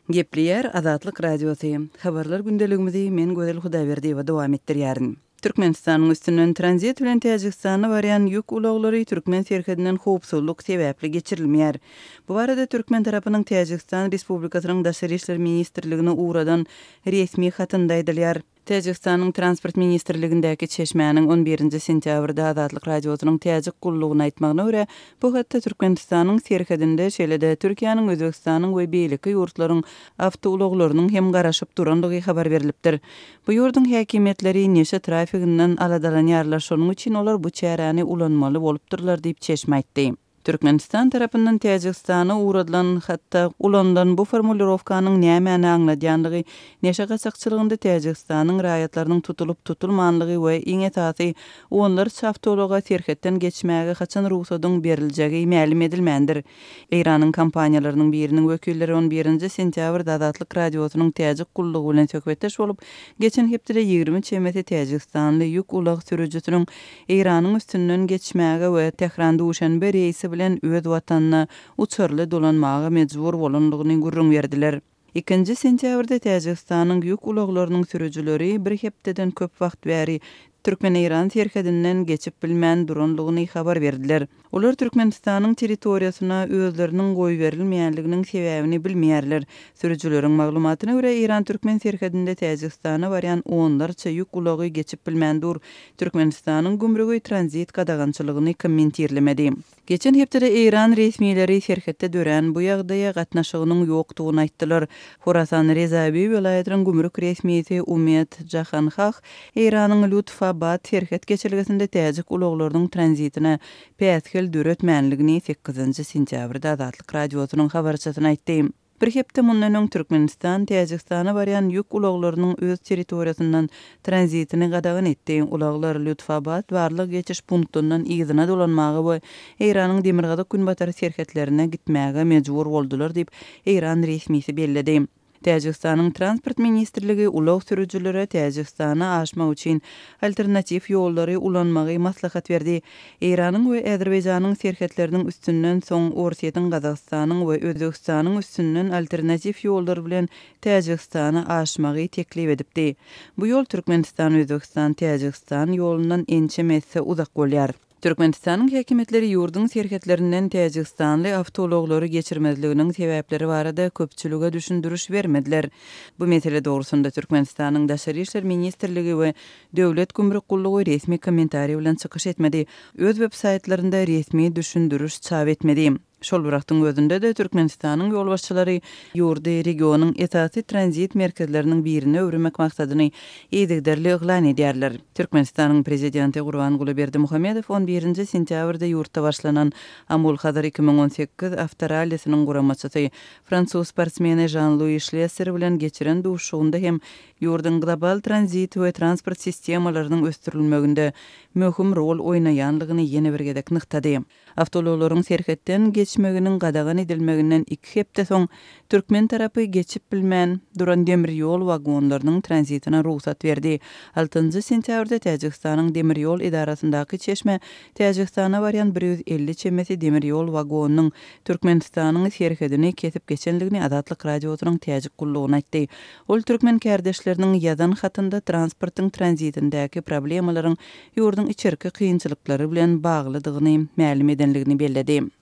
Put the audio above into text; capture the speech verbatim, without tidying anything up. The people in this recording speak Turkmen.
Gepleýär Azatlyk Radiosy. Habarlar gündeligimizi men Gözel Hudaýberdiýewa dowam etdirýärin. Türkmenistanyň üstünden tranzit bilen Täjigistana barýan ýük ulaglary türkmen serhedinden howpsuzlyk sebäpli geçirilmeýär. Bu barada türkmen tarapynyň Täjigistan Respublikasynyň Daşary işler ministrligine ugradan resmi hatynda aýdylýar. Täjigistanyň Transport ministrligindäki çeşmäniň on birinji sentýabrda Azatlyk Radiosynyň Täjik gullugyna aýtmagyna görä, bu hatda Türkmenistanyň serhedinde, şeýle-de Türkiýäniň, Özbegistanyň we beýleki ýurtlaryň awtoulaglarynyň hem garaşyp durandygy habar berlipdir. Bu ýurduň häkimiýetleri neşe trafiginden aladalanýarlar, şonuň üçin olar bu çäräni ulanmaly bolupdyrlar diýip çeşme aýtdy. Türkmenistan tarapyndan Täjigistana ugradylan hatda ulanylan bu formulirowkanyň nämäni aňladýanlygy, neşe gaçakçylygynda Täjigistanyň raýatlarynyň tutulyp tutulmanlygy we iň esasy onlarça awtoulaga serhetden geçmäge haçan rugsadyň beriljegi mälim edilmändir. Eýranyň kompaniýalarynyň biriniň wekilleri on birinji sentýabrda Azatlyk Radiosynyň Täjik gullugy bilen söhbetdeş bolup, geçen hepdede ýigrimi çemesi täjigistanly ýük ulag sürüjisiniň Eýranyň üstünden geçmäge we Tähran-Duşanbe reýsi bilen öz watanyna uçarly dolanmaga mejbur bolandygyny gürrüň berdiler. Ikinji sentýabrda Täjigistanyň ýük ulaglarynyň sürüjileri bir hepdeden köp wagt bäri Türkmen-Eýran serhedinden geçip bilmän durandygyny habar berdiler. Olar Türkmenistanyň territoriýasyna özleriniň goýberilmeýänliginiň sebäbini bilmeýärler. Sürüjileriň maglumatyna görä, Eýran-Türkmen serhedinde Täjigistana barýan onlarça ýük ulagy geçip bilmän dur. Türkmenistanyň gümrügi tranzit gadagançylygyny kommentirlemedi. Geçen hepdede Eýran resmileri serhetde dörän bu ýagdaýa gatnaşygynyň ýokdugyny aýtdylar. Horasan Rezabi welaýatynyň gümrük resmisi Umed Jahanhah Eýranyň Lutfabad serhet geçelgesinde täjik ulaglarynyň tranzitine päsgel döretmänligini sekizinji sentýabrda Azatlyk Radiosynyň habarçysyna aýtdy. Bir hepde mundan öň Türkmenistan Täjigistana barýan ýük ulaglarynyň öz territoriýasyndan tranzitini gadagan etdi. Ulaglar Lutfabad barlyk geçiş punktundan yzyna dolanmaga we Eýranyň demirgazyk günbatar serhetlerine gitmäge mejbur boldular diýip Eýran resmisi belledi. Täjigistanyň Transport ministrligi ulag sürüjilere Täjigistana aşmak üçin alternatiw ýollary ulanmagy maslahat berdi. Eýranyň we Azerbaýjanyň serhetleriniň üstünden soň Orsýetiň, Gazagystanyň we Özbegistanyň üstünden alternatiw ýollar bilen Täjigistana aşmagy teklip edipdi. Bu ýol Türkmenistan, Özbegistan, Täjigistan ýolundan ençeme esse uzak bolýar. Türkmenistanyň häkimiýetleri ýurduň serhetlerinden täjigistanly awtoulaglary geçirmezliginiň sebäpleri barada köpçülige düşündiriş bermediler. Bu mesele dogrusynda Türkmenistanyň Daşary işler ministrligi we Döwlet gümrük gullugy resmi kommentariý bilen çykyş etmedi. Öz web saýtlarynda resmi düşündiriş çap etmedi. Şol bir wagtyň özünde-de Türkmenistanyň ýolbaşçylary ýurdy regionyň esasy tranzit merkezleriniň birine öwürmek maksadyny yzygiderli yglan edýärler. Türkmenistanyň prezidenti Gurbanguly Berdimuhamedow on birinji sentýabrda ýurtda başlanan Amul Hazar iki müň on sekiz awtorallisynyň guramaçysy fransuz sportsmeni Žan-Lui Şlesser bilen geçiren duşuşygynda hem ýurduň global tranzit we transport sistemalarynyň ösdürilmeginde möhüm rol oýnaýanlygyny ýene bir gezek nygtady. Awtoulaglaryň serhetden geçmeginiň gadagan edilmeginden iki hepde soň türkmen tarapy geçip bilmän duran demir ýol wagonlarynyň tranzitine rugsat berdi. Altynjy sentýabrda Täjigistanyň demir ýol edarasyndaky çeşme Täjigistana barýan bir ýüz elli çemesi demir ýol wagonynyň Türkmenistanyň serhedini kesip geçenligini Azatlyk Radiosynyň Täjik gullugyna aýtdy. Ol türkmen kärdeşleriniň ýazan hatynda transportyň tranzitindäki problemalaryň ýurduň içerki kynçylyklary bilen baglydygyny mälim edenligini belledi.